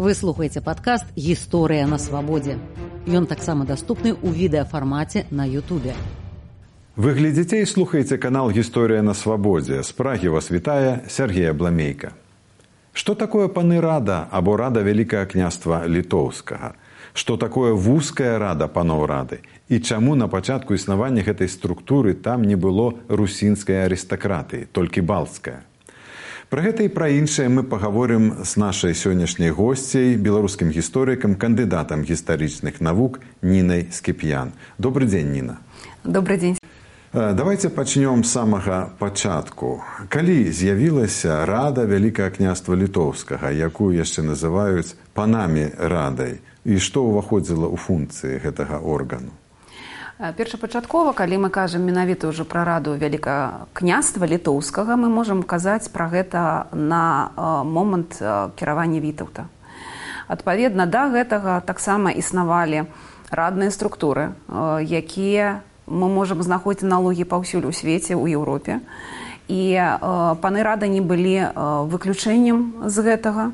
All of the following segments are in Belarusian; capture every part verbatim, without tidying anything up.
Вы слухаеце падкаст «Гісторыя на свабодзе». Ён таксама даступны ў відэафармаце на Ютубе. Вы глядзіце і слухаеце канал «Гісторыя на свабодзе». З Прагі вас вітае Сергей Абламейка. Што такое паны рада або рада Вялікага княства Літоўскага? Што такое вузкая рада паноў рады? І чаму на пачатку існавання гэтай структуры там не было русінскай арыстакратыі, толькі балцкая? Пра гэта і пра іншае мы пагаворым з нашай сённяшняй госцяй, беларускім гісторыкам, кандыдатам гістарычных навук Нінай Скіп'ян. Добрый дзень, Ніна. Добрый дзень. Давайте пачнём з самага пачатку. Калі з'явілася рада Вялікага княства Літоўскага, якую яшчэ называюць панамі радай, і што ўваходзіла ў функцыі гэтага органу? Першапачаткова, калі мы кажам менавіта ўжо пра раду Вялікага княства Літоўскага, мы можам казаць пра гэта на момант кіравання Вітаўта. Адпаведна да гэтага таксама існавалі радныя структуры, якія мы можам знаходзіць аналогіі паўсюль у свеце, у Еўропе. І паны рады не былі выключэннем з гэтага.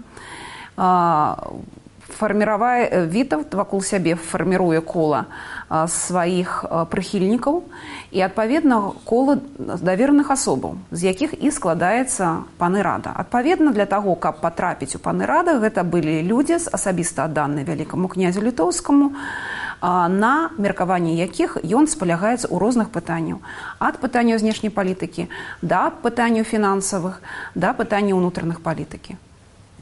Фарміравае Вітаўт вакол сябе фарміруе кола сваіх прыхільнікаў і, адпаведна, кола давераных асобаў, з якіх і складаецца паны рада. Адпаведна, для таго, каб патрапіць у паны рада, гэта былі людзі, асабіста адданыя Вялікаму князю Літоўскаму, на меркаванні якіх ён спалягаецца ў розных пытанняў. Ад пытанняў знешняй палітыкі да пытанняў фінансавых, да пытанняў унутраных палітыкі.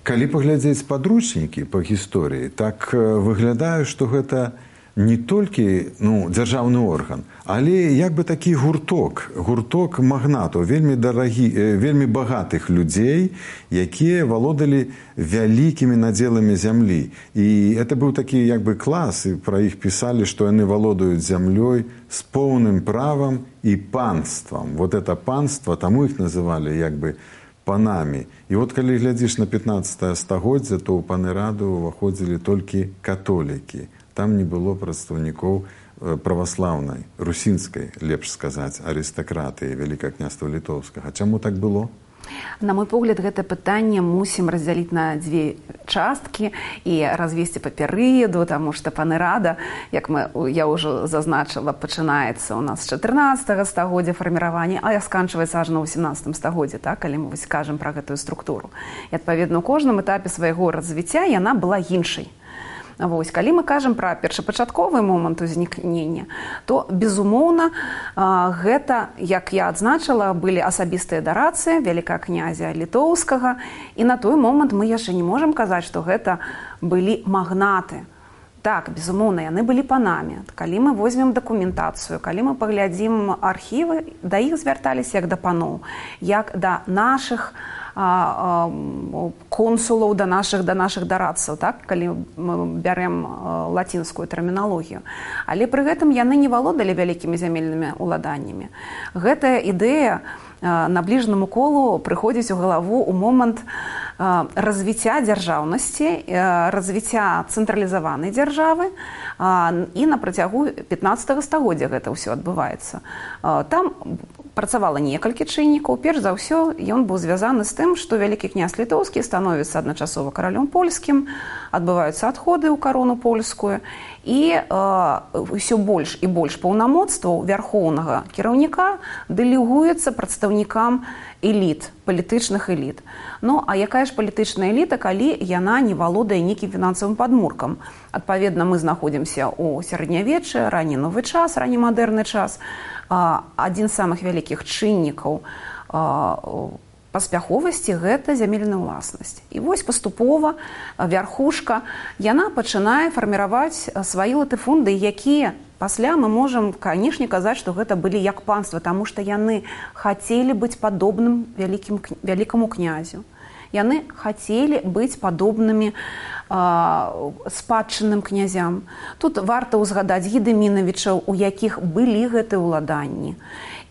Калі паглядзець падручнікі па гісторыі, так выглядае, што гэта не толькі ну, дзяржаўны орган, але як бы такі гурток, гурток магнатаў, вельмі дарагі, вельмі багатых людзей, якія валодалі вялікімі надзеламі зямлі. І это быў такі як бы клас, і пра іх пісалі, што яны валодаюць зямлёй з поўным правам і панствам. Вот это панства, таму іх называлі як бы панамі. І от калі глядзіш на пятнаццатае стагоддзе, то ў паны раду ўваходзілі толькі католікі. Там не было прадстаўнікоў праваслаўнай, русінскай, лепш сказаць, арыстакратыі Вялікага княства Літоўскага. Чаму так было? На мой погляд, гэта пытанне мусім раздзяліць на дзве часткі і развесці па перыяду, таму што паны рада, як мы, я ўжо зазначыла, пачынаецца ў нас з чатырнаццатага стагоддзя фарміравання, а сканчваецца аж на восемнадцатым стагоддзе, так, калі мы кажам пра гэтую структуру. І, адпаведна, у кожным этапе свайго развіцця яна была іншай. Вось, калі мы кажам пра першапачатковы момант узнікнення, то, безумоўна, гэта, як я адзначыла, былі асабістыя дарацыі Вялікага князя Літоўскага, і на той момант мы яшчэ не можам казаць, што гэта былі магнаты. Так, безумоўна, яны былі панамі. Калі мы возьмем дакументацыю, калі мы паглядзім архівы, да іх звярталіся як да паноў, як да нашых консулаў, да нашых, да нашых дарадцаў, так, калі мы бярем лацінскую тэрміналогію. Але пры гэтым яны не валодалі вялікімі зямельнымі ўладаннямі. Гэтая ідэя набліжанаму колу прыходзіць у галаву ў момант развіцця дзяржаўнасці, развіцця цэнтралізаванай дзяржавы, і на працягу пятнаццатага стагоддзя гэта ўсё адбываецца. Там працавала некалькі чыннікаў. Перш за ўсё, ён быў звязаны з тым, што Вялікі князь Літоўскі становіцца адначасова каралём польскім, адбываюцца адходы ў карону польскую, і ўсё больш і больш паўнамоцтваў вярхоўнага кіраўніка дэлегуецца прадстаўнікам эліт, палітычных эліт. Ну, а якая ж палітычная эліта, калі яна не валодае нейкім фінансавым падмуркам? Адпаведна, мы знаходзімся ў сярэднявеччы, ранні новы час, ранні мадэрны час. Адзін з самых вялікіх чыннікаў паспяховасці – гэта зямельная ўласнасць. І вось паступова вярхушка, яна пачынае фарміраваць свае латыфунды, якія пасля мы можам, канешне, казаць, што гэта былі як панства, таму што яны хацелі быць падобным вялікім, вялікаму князю. Яны хацелі быць падобнымі спадчынным князям. Тут варта ўзгадаць Гедымінавічаў, у якіх былі гэтыя ўладанні,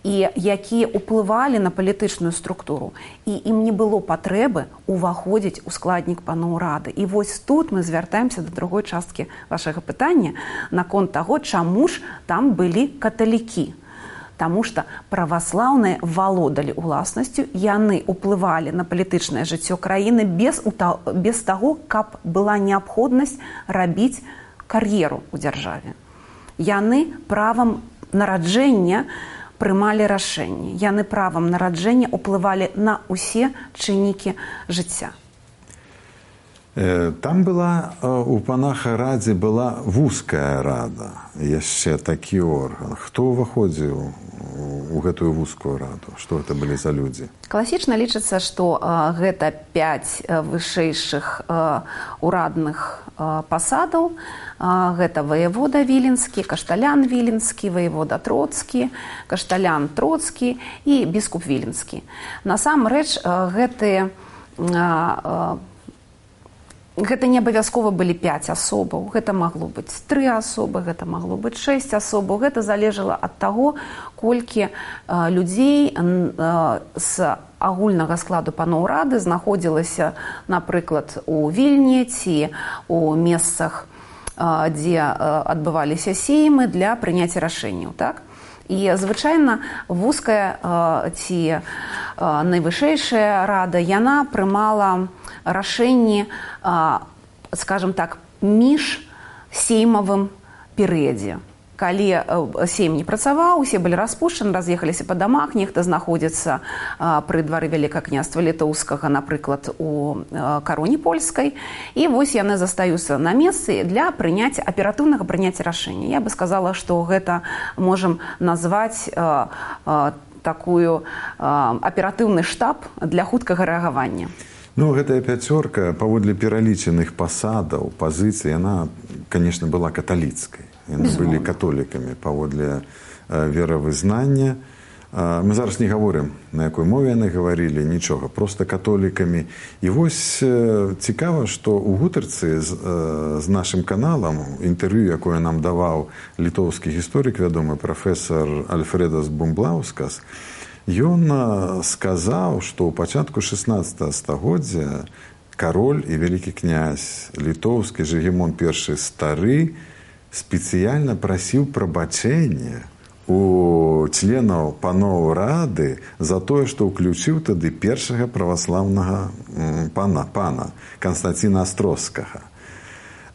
і якія ўплывалі на палітычную структуру. І ім не было патрэбы ўваходзіць у складнік паноў рады. І вось тут мы звяртаемся да другой часткі вашага пытання наконт таго, чаму ж там былі каталікі. Таму што праваслаўныя валодалі ўласнасцю, яны ўплывалі на палітычнае жыццё краіны без, без таго, каб была неабходнасць рабіць кар'еру ў дзяржаве. Яны правам нараджэння прымалі рашэнні. Яны правам нараджэння ўплывалі на ўсе чыннікі жыцця. Там была, у панаха радзе была вузкая рада, яшчэ такі орган. Хто ўваходзіў у гэтую вузкую раду? Што гэта былі за людзі? Класічна лічыцца, што а, гэта пяць вышэйшых а, урадных а, пасадаў. А, гэта ваявода Віленскі, кашталян Віленскі, ваявода Троцкі, кашталян Троцкі і біскуп Віленскі. Насамрэч, а, гэтыя а, а, Гэта не абавязкова былі пяць асобаў, гэта магло быць тры асобы, гэта магло быць шэсць асобаў. Гэта залежала ад таго, колькі а, людзей а, з агульнага складу паноў рады знаходзілася, напрыклад, у Вільні ці у месцах, а, дзе а, адбываліся сеймы для прыняцця рашэнняў, так? І звычайна вузкая а, ці а, найвышэйшая рада, яна прымала рашэнні, скажем так, між сеймавым перыядзе. Калі сейм не працаваў, усе былі распушчаны, раз'ехаліся па дамах, нехта знаходзіцца пры двары Вялікага княства Літоўскага, напрыклад, у кароне польскай, і вось яны застаюцца на месцы для прыняцця, аператыўнага прыняцця рашэння. Я бы сказала, што гэта можам назваць такую аператыўны штаб для хуткага рэагавання. Ну, гэтая пяцёрка, паводле пералічаных пасадаў, пазіцый, яна, конечно, была каталіцкай. Яны былі католікамі паводле э, веравызнання. Э, мы зараз не гаворым, на якой мове яны гаварылі, нічога, проста католікамі. І вось э, цікава, што ў гутарцы з, э, з нашым каналам, інтэрв'ю, якое нам даваў літоўскі гісторык, вядомы прафесар Альфредас Бумблаускас, ён сказаў, што ў пачатку шэснаццатага стагоддзя кароль і вялікі князь літоўскі Жыгімон першы стары спецыяльна прасіў прабачэння у членаў паноў рады за тое, што ўключыў тады першага праваслаўнага пана, пана Канстанціна Астроскага.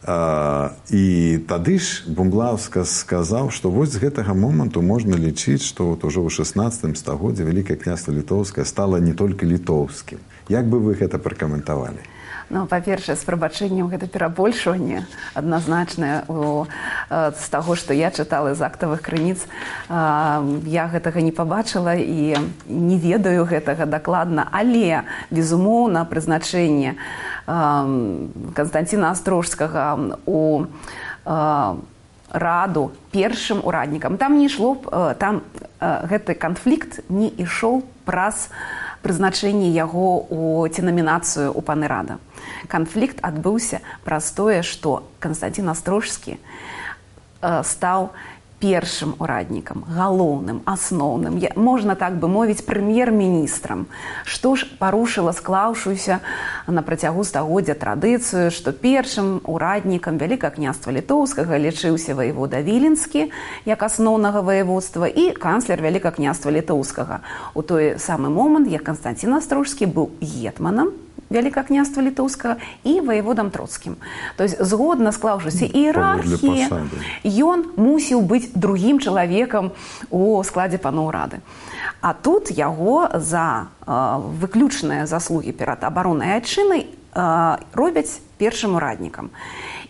Uh, і тады ж Бумблаускас сказаў, што вось з гэтага моманту можна лічыць, што вот ужо ў шэснаццатым стагоддзе Вялікае княства Літоўскае стала не толькі літоўскім. Як бы вы гэта пракаментавалі? Ну, па-першае, з прабачэннем гэта перабольшванне адназначнае з таго, што я чытала з актавых крыніц. Я гэтага не пабачыла і не ведаю гэтага дакладна, але, безумоўна, прызначэнне Канстанціна Астрожскага у раду першым ураднікам. Там не ішло, там гэты канфлікт не ішоў праз прызначэнне яго у ці намінацыю ў паны рада. Канфлікт адбыўся праз тое, што Канстанцін Астрожскі стаў першым ураднікам, галоўным, асноўным, можна так бы мовіць, прэм'ер-міністрам, што ж парушыла склаўшуюся на працягу стагоддзя традыцыю, што першым ураднікам Вялікага княства Літоўскага лічыўся ваявода Віленскі як асноўнага ваяводства і канцлер Вялікага княства Літоўскага. У той самы момант, як Канстанцін Астрожскі быў гетманам Вялікага княства Літоўскага і ваяводам Троцкім. То есть, згодна склаўшыся іерархіі, ён мусіў быць другім чалавекам у складзе паноў рады. А тут яго за э, выключныя заслугі перад абароннай айчынай э, робяць першым ураднікам.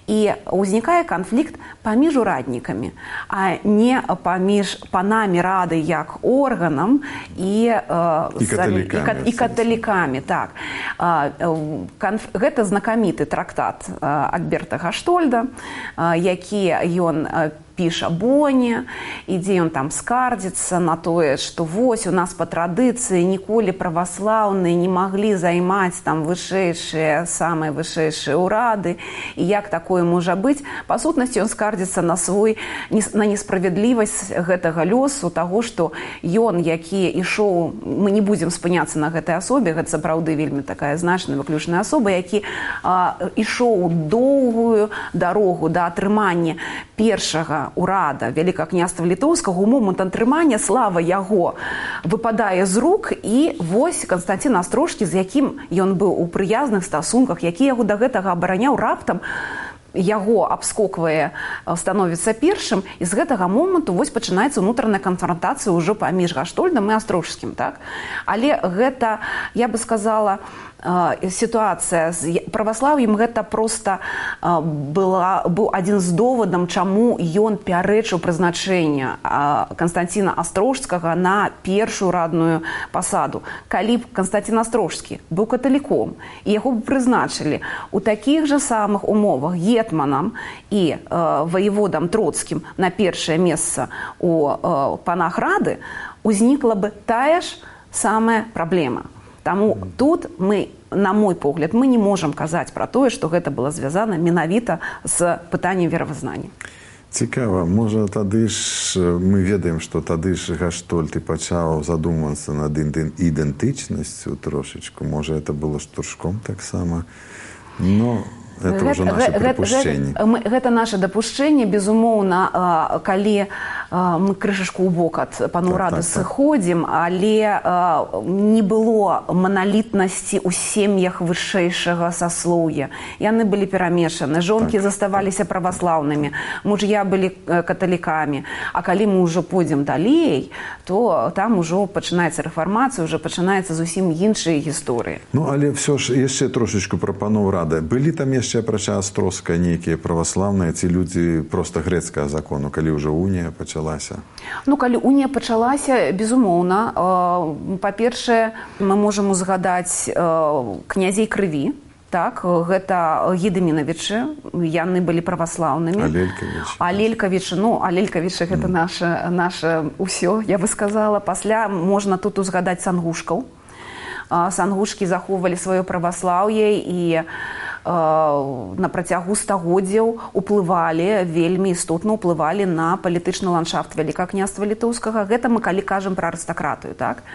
І ўзнікае канфлікт паміж ураднікамі, а не паміж панамі рады як органам і, э, і, каталікамі, і, і каталікамі. Так. Э, канф... Гэта знакаміты трактат э, Альберта Гаштольда, э, які ён э, піша Боне, і дзе ён там скардзіцца на тое, што вось у нас па традыцыі ніколі праваслаўныя не маглі займаць там вышэйшыя, самыя вышэйшыя ўрады, і як такое можа быць. Па сутнасці ён скардзіцца на свой, на несправядлівасць гэтага лёсу, таго, што ён, які ішоў, мы не будзем спыняцца на гэтай асобе, гэта сапраўды вельмі такая значная выключная асоба, які а, ішоў доўгую дарогу да атрымання першага кіруе ўрада Вялікага княства літоўскага, у момант атрымання слава яго выпадае з рук, і вось Канстанцін Астрожскі, з якім ён быў у прыязных стасунках, які яго да гэтага абараняў, раптам яго абскоквае, становіцца першым, і з гэтага моманту вось пачынаецца ўнутраная канфронтацыя ўжо паміж Гаштольдам і Астрожскім, так? Але гэта, я бы сказала, сітуацыя з праваслаўем, гэта проста была, быў адзін з довадам, чаму ён пярэчыў прызначэнне Канстанціна Астрожскага на першую радную пасаду. Калі б Канстанцін Астрожскі быў каталіком, і яго б прызначылі у такіх жа самых умовах гетманам і ваеводам Троцкім на першае месца у панах рады, узнікла бы тая ж самая праблема. Таму тут мы, на мой погляд, мы не можам казаць пра тое, што гэта было звязана менавіта з пытаннем веравызнання. Цікава, можа тады ж мы ведаем, што тады ж Гаштольд і пачаў задумвацца над ідэнтычнасцю трошечку, можа это было штуршком таксама, но это гэта, ўжо наше прыпушчэнне. Гэта, гэта наше дапушчэнне, безумоўна, калі мы крышачку ў бок ад панурады так, так, сыходзім, але не было маналітнасці ў сем'ях вышэйшага саслоўя. Яны былі перамешаны, жонкі так, заставаліся праваслаўнымі, муж'я былі каталікамі. А калі мы ўжо пойдзем далей, то там ужо пачынаецца рэфармацыя, ўжо пачынаецца зусім іншыя гісторыі. Ну, але все ж яшчэ трошечку пра панурады. Былі там яшчэ апрача Астрожскага нейкія праваслаўныя ці людзі проста грэцкага закону, калі ўжо унія пачала? Ну, калі унія пачалася, безумоўна, па-першае, мы можам узгадаць князей крыві, так, гэта Гедымінавічы, яны былі праваслаўнымі. Алелькавічы. Алелькавічы, ну, Алелькавічы гэта наша, наша ўсё, я бы сказала. Пасля можна тут узгадаць сангушкаў. Сангушкі захоўвалі сваё праваслаўе і на працягу стагоддзяў уплывалі, вельмі істотна ўплывалі на палітычны ландшафт Вялікага княства літоўскага. Гэта мы калі кажам пра арыстакратыю, так?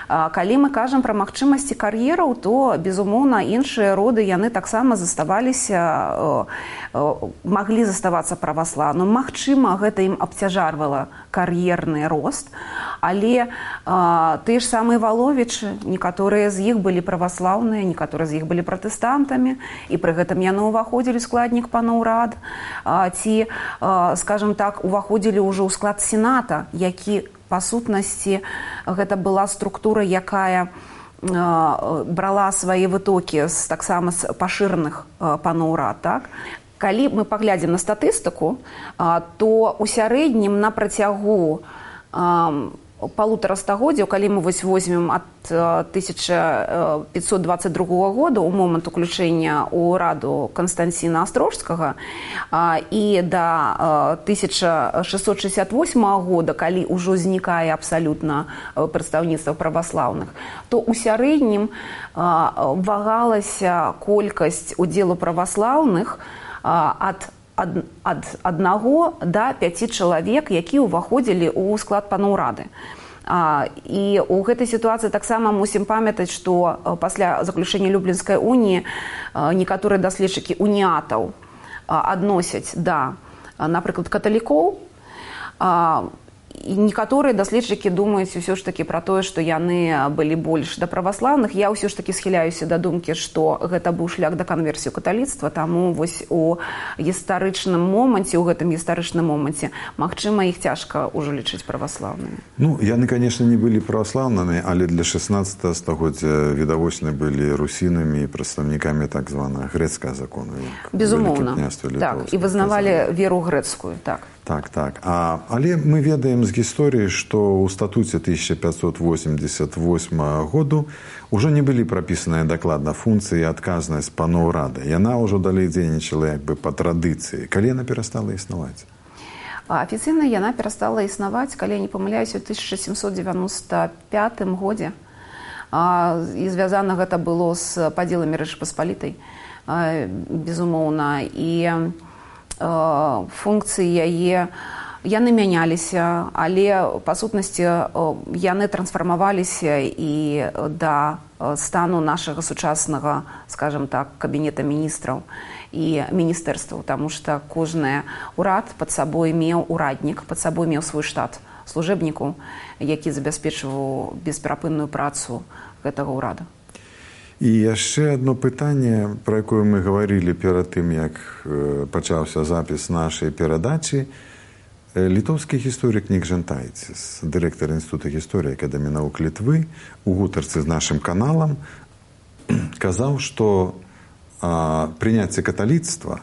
Калі мы кажам пра магчымасці кар'ераў, то, безумоўна, іншыя роды, яны таксама заставаліся, маглі заставацца праваслаўным. Магчыма, гэта ім абцяжарвала кар'ерны рост, але тыя ж самыя Валовічы, некаторыя з іх былі праваслаўныя, некаторыя з іх былі пратэстантамі, і пры гэтым яны ўваходзілі ў складнік панаўрад, ці, скажам так, уваходзілі ўжо ў склад сената, які па сутнасці гэта была структура, якая брала свае вытокі з таксама з пашыраных панаўрад, так? Калі мы паглядзім на статыстыку, то ў сярэднім на працягу палутара стагоддзяў, калі мы вось возьмем ад тысяча пятьсот двадцать другого года, у момант уключэння ў раду Канстанціна Астрожскага, і да тысяча шестьсот шестьдесят восьмого года, калі ўжо знікае абсалютна прадстаўніцтва праваслаўных, то ў сярэднім вагалася колькасць удзелу праваслаўных ад ад, ад аднаго да пяці чалавек, які ўваходзілі ў склад панаўрады. А, і ў гэтай сітуацыі таксама мусім памятаць, што пасля заключэння Люблінскай уніі некаторыя даследчыкі уніатаў адносяць да, напрыклад, каталікоў, а, і некаторыя даследчыкі думаюць ўсё ж такі пра тое, што яны былі больш да праваслаўных. Я ўсё ж такі схіляюся да думкі, што гэта быў шлях да канверсію каталіцтва, таму вось у гістарычным моманце, у гэтым гістарычным моманце, магчыма, іх цяжка ўжо лічыць праваслаўнымі. Ну, яны, конечно, не былі праваслаўнымі, але для шестнадцатого стагоддзя відавочна былі русінамі і прадстаўнікамі так званага грэцкага закону. Безумоўна. Так, і вызнавалі веру грэцкую, так. Так, так. А, але мы ведаем з гісторыі, што ў статуце тысяча пятьсот восемьдесят восьмого году ўжо не былі прапісаныя дакладна функцыі і адказнасць панаўрады. Яна ўжо далей дзейнічала як бы па традыцыі. Калі яна перастала існаваць? Афіцыйна яна перастала існаваць, калі я не памыляюся, ў тысяча сямсот девяносто пятым годзе. І звязана гэта было з падзеламі Рэчы Паспалітай, безумоўна. І функцыі яе яны мяняліся, але па сутнасці яны трансфармаваліся і да стану нашага сучаснага, скажем так, кабінета міністраў і міністэрстваў, таму што кожны ўрад пад сабой меў ураднік, пад сабой меў свой штат служэбнікаў, які забяспечваў бесперапынную працу гэтага ўрада. І яшчэ одно пытанне, пра якое мы гаварылі перад тым, як пачаўся запіс нашай перадачы. Літоўскі гісторык Нік Жантайціс, дырэктар Інстытута гісторыі Акадэміі навук Літвы, у гутарцы з нашым каналам казаў, што прыняцце каталіцтва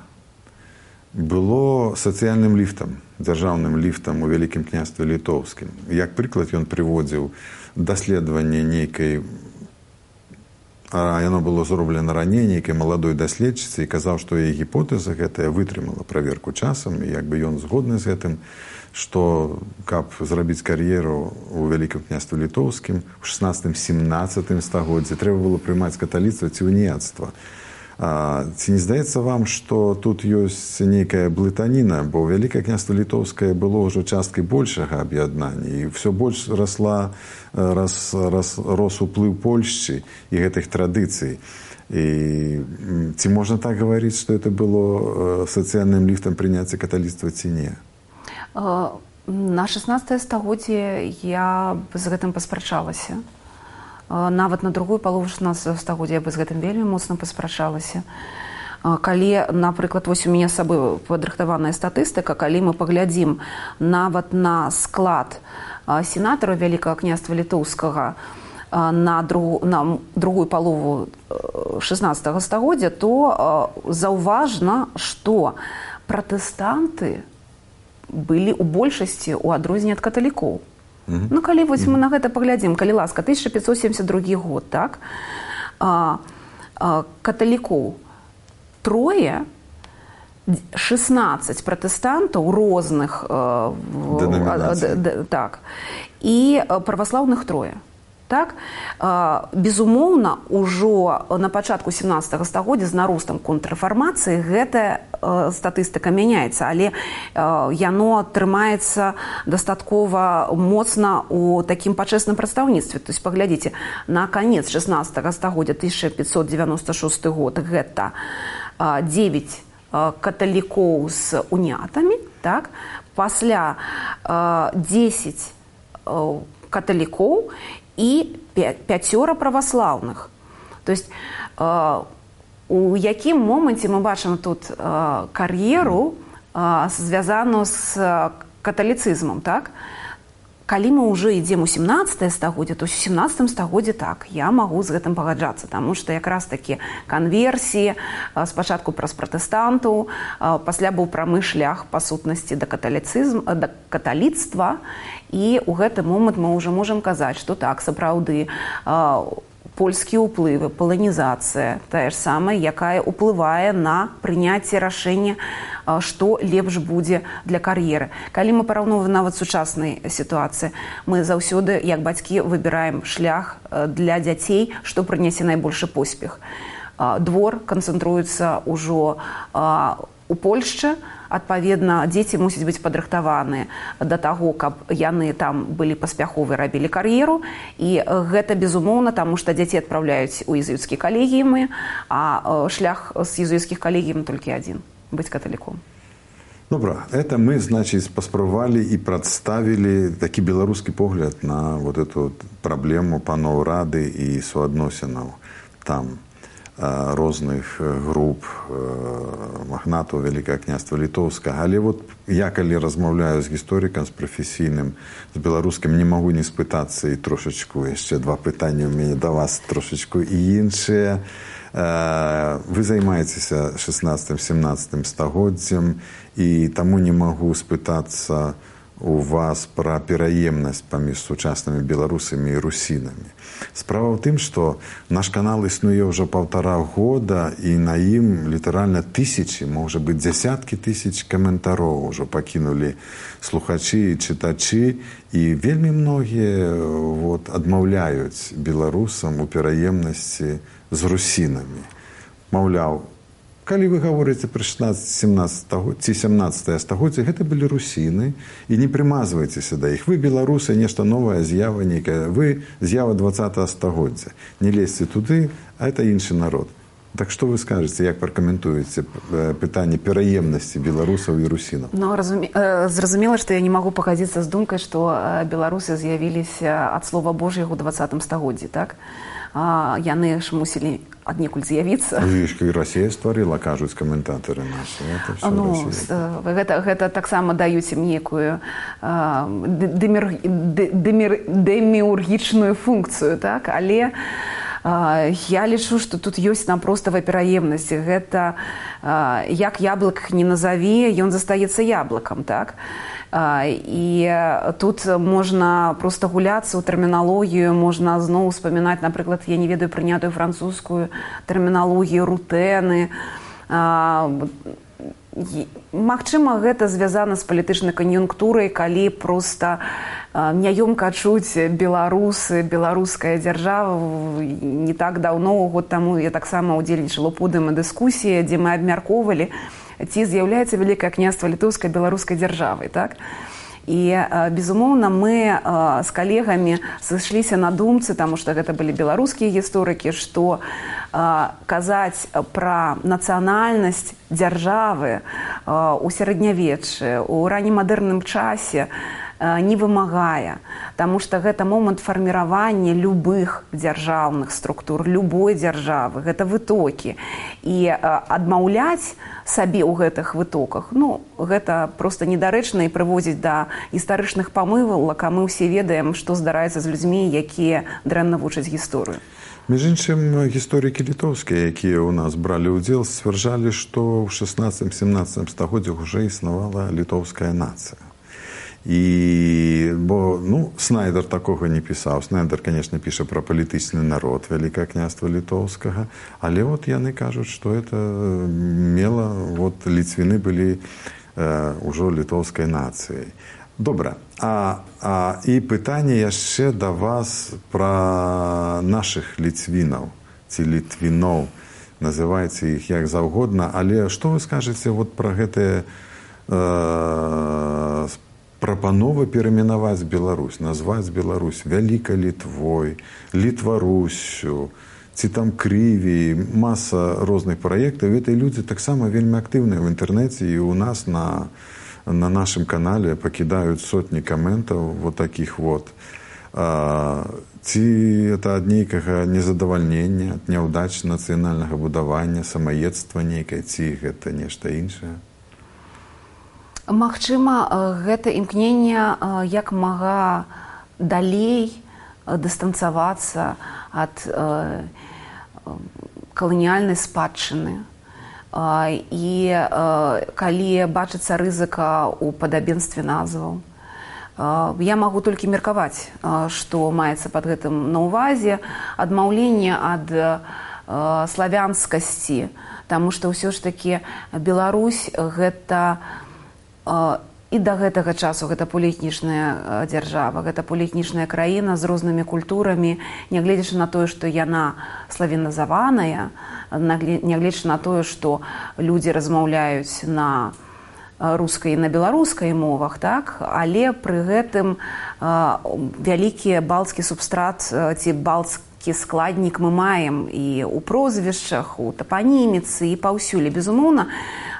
было сацыяльным ліфтам, дзяржаўным ліфтам у Вялікім княстве літоўскім. Як прыклад ён прыводзіў даследаванне нейкай, а яно было зроблена раней, нейкай маладой даследчыцы, і казаў, што яе гіпотэза гэтая вытрымала праверку часам, і як бы ён згодны з гэтым, што каб зрабіць кар'еру ў Вялікім княстве літоўскім у шаснаццатым-семнаццатым стагоддзі трэба было прымаць каталіцтва ці уніяцтва. А, ці не здаецца вам, што тут ёсць нейкая блытаніна, бо Вялікае княства літоўскае было ўжо часткай большага аб'яднання, і ўсё больш расла, рас, рас, рос уплыў Польшчы і гэтых традыцый. І ці можна так гаварыць, што это было сацыяльным ліфтам прыняцця каталіцтва ці не? На шаснаццатае стагоддзе я з гэтым паспрачалася. Нават на другую палову шаснаццатага стагоддзя я бы з гэтым вельмі моцна паспрачалася. Калі, напрыклад, вось у мяне з сабой падрыхтаваная статыстыка, калі мы паглядзім нават на склад сенатараў Вялікага княства літоўскага на, друг, на другую палову шаснаццатага стагоддзя, то заўважна, што пратэстанты былі ў большасці ў адрозненне ад каталікоў. Ну, калі вось мы на гэта паглядзім, калі ласка, тысяча пятьсот семьдесят другі год, так, а, а, каталікоў трое, шестнадцать пратэстантаў розных, а, а, д, так, і праваслаўных трое. Так? Безумоўна, ужо на пачатку семнаццатага стагоддзя з наростам контррэфармацыі гэтая статыстыка мяняецца, але яно трымаецца дастаткова моцна у такім пачэсным прадстаўніцтве. То есть паглядзіце, на канец шаснаццатага стагоддзя тысяча пятьсот девяносто шесты год гэта девять каталікоў з уніятамі, так? Пасля десять каталікоў і пяцёра праваслаўных. То есть у якім моманце мы бачым тут кар'еру, звязаную з каталіцызмам, так? Калі мы ўжо ідзем у семнаццатае стагоддзе, то ў семнаццатым стагоддзе так, я магу з гэтым пагаджацца, таму што якраз такі канверсіі, спачатку праз пратэстантаў, пасля быў прамы шлях па сутнасці да каталіцызм, да каталіцтва, і ў гэты момант мы ўжо можам казаць, што так, сапраўды, польскія ўплывы, паланізацыя, тая ж самая, якая ўплывае на прыняцце рашэння, што лепш будзе для кар'еры. Калі мы параўноўваем нават сучаснай сітуацыі, мы заўсёды, як бацькі, выбіраем шлях для дзяцей, што прынясе найбольшы поспех. Двор канцэнтруецца ўжо у Польшчы, адпаведна, дзеці мусяць быць падрыхтаваныя да таго, каб яны там былі паспяховыя, рабілі кар'еру, і гэта безумоўна, таму што дзяцей адпраўляюць у езуіцкія калегіумы, а шлях з езуіцкіх калегіум толькі адзін – быць каталіком. Добра, это мы, значит, паспрабавалі і прадставілі такі беларускі погляд на вот эту праблему паноў рады і суадносінаў там розных груп магнатаў Вялікага княства літоўскага. Але вот я, калі размаўляю з гісторыкам, з прафесійным, з беларускім, не магу не спытацца і трошачку, яшчэ два пытанні ў мяне да вас трошачку і іншыя. Вы займаецеся шаснаццатым-семнаццатым стагоддзем, і таму не магу спытацца у вас пра пераемнасць паміж сучаснымі беларусамі і русінамі. Справа ў тым, што наш канал існуе ўжо паўтара года, і на ім літаральна тысячы, можа быць, дзясяткі тысяч каментароў ужо пакінулі слухачы і чытачы, і вельмі многія вот, адмаўляюць беларусам у пераемнасці з русінамі. Маўляў, калі вы гаворыце пра шаснаццатае-сямнаццатае ці сямнаццатае стагоддзе, гэта былі русіны, і не прымазвайцеся да іх. Вы, беларусы, нешта новая з'ява нейкая, вы з'ява двадцатага стагоддзя. Не лезьце туды, а это іншы народ. Так што вы скажаце, як пракаментуеце пытанне пераемнасці беларусаў і русінаў? Ну, разуме... Зразумела, што я не магу пагадзіцца з думкай, што беларусы з'явіліся ад слова Божьего ў двадцатым стагоддзі, так? Яны ж мусілі аднекуль з'явіцца. І Расія стварыла, кажуць каментатары нашы. Ну, гэта, гэта таксама даюць ім некую дэмір... дэмір... дэміургічную функцыю, так? Але я лічу, што тут ёсць напростава пераемнасць. Гэта як яблык не назаві, ён застаецца яблыкам, так? І тут можна проста гуляцца ў тэрміналогію, можна зноў успамінаць, напрыклад, я не ведаю прынятую французскую тэрміналогію, рутэны. Магчыма, гэта звязана з палітычнай кан'юнктурай, калі проста няёмка чуць беларусы, беларуская дзяржава. Не так даўно, год таму, я таксама ўдзельнічала ў подыуме дыскусіі, дзе мы абмяркоўвалі, ці з'яўляецца Вялікае княства літоўскай беларускай дзяржавай, так? І, безумоўна, мы з калегамі сышліся на думцы, таму што гэта былі беларускія гісторыкі, што казаць пра нацыянальнасць дзяржавы ў сярэднявеччы, у раннемадэрным часе не вымагае, таму што гэта момант фарміравання любых дзяржаўных структур, любой дзяржавы, гэта вытокі. І адмаўляць сабе ў гэтых вытоках, ну, гэта проста недарэчна і прыводзіць да гістарычных памылак, а мы ўсе ведаем, што здараецца з людзьмі, якія дрэнна вучаць гісторыю. Між іншым, гісторыкі літоўскія, якія ў нас бралі ўдзел, сцвярджалі, што ў шаснаццатым-сямнаццатым стагоддзях уже існавала літоўская нацыя. І, бо, ну, Снайдер такога не пісаў. Снайдер, конечно, піша пра палітычны народ Вялікае княства літоўскага, але вот яны кажуць, што это мела, вот ліцвіны былі э, ўжо літоўскай нацыяй. Добра, а, а і пытанне яшчэ да вас пра нашых ліцвінаў, ці літвіноў, называйце іх як заўгодна, але што вы скажаце вот пра гэтыя э, прапанова перайменаваць Беларусь, назваць Беларусь Вялікай Літвой, Літварусю, ці там Крыві, маса розных праектаў. Гэтыя людзі таксама вельмі актыўныя ў інтэрнэце, і ў нас на, на нашым канале пакідаюць сотні каментаў вот такіх вот. А, ці это ад нейкага незадавальнення, ад няўдач нацыянальнага будавання, самаедства нейкае, ці гэта нешта іншае? Магчыма, гэта імкненне як мага далей дыстанцавацца ад каланіяльнай спадчыны. І калі бачыцца рызыка ў падабенстве назваў. Я магу толькі меркаваць, што маецца пад гэтым на ўвазе, адмаўленне ад славянскасці, таму што ўсё ж такі Беларусь гэта і да гэтага часу гэта поліэтнічная дзяржава, гэта поліэтнічная краіна з рознымі культурамі, нягледзячы на тое, што яна славяназаваная, нягледзячы на тое, што людзі размаўляюць на рускай і на беларускай мовах, так? Але пры гэтым вялікі балцкі субстрат ці балцкі складнік мы маем і ў прозвішчах, у тапаніміцы і паўсюль. Безумоўна,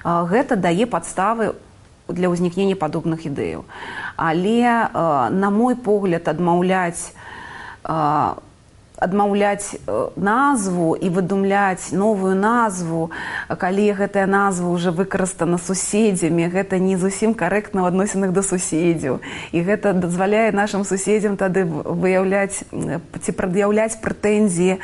гэта дае падставы для ўзнікнення падобных ідэяў. Але, на мой погляд, адмаўляць, адмаўляць назву і выдумляць новую назву, калі гэтая назва ўжо выкарыстана суседзямі, гэта не зусім карэктна ў адносінах да суседзяў. І гэта дазваляе нашым суседзям тады выяўляць ці прад'яўляць прэтэнзіі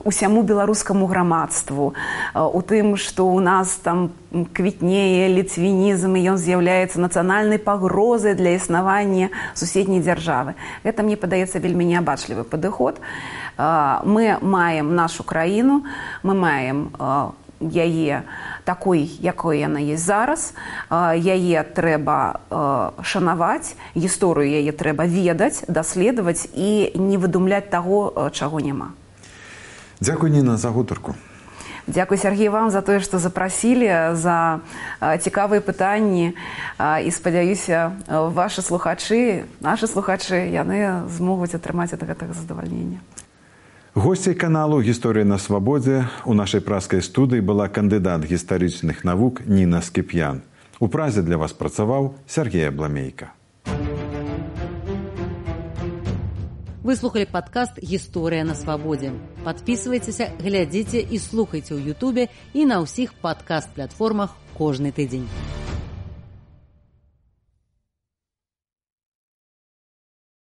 усяму беларускаму грамадству. У тым, што ў нас там квітнее ліцвінізм, і ён з'яўляецца нацыянальнай пагрозай для існавання суседняй дзяржавы. Гэта, мне падаецца, вельмі неабачлівы падыход. Мы маем нашу краіну, мы маем яе такой, якой яна есть зараз. Яе трэба шанаваць, гісторыю яе трэба ведаць, даследаваць і не выдумляць таго, чаго няма. Дзякуй, Ніна, за гутарку. Дзякуй, Сергей, вам за тое, што запрасілі, за цікавыя пытанні. І спадзяюся, вашы слухачы, нашы слухачы, яны змогуць атрымаць ад гэтага задавальнення. Госцей каналу «Гісторыя на свабодзе» у нашай праскай студыі была кандыдат гістарычных навук Ніна Скіп'ян. У празе для вас працаваў Сергей Абламейка. Вы слухали падкаст «Гісторыя на свабодзе». Падпісвайцеся, глядзіце і слухайце ў Ютубе і на ўсіх падкаст-платформах кожны тыдзень.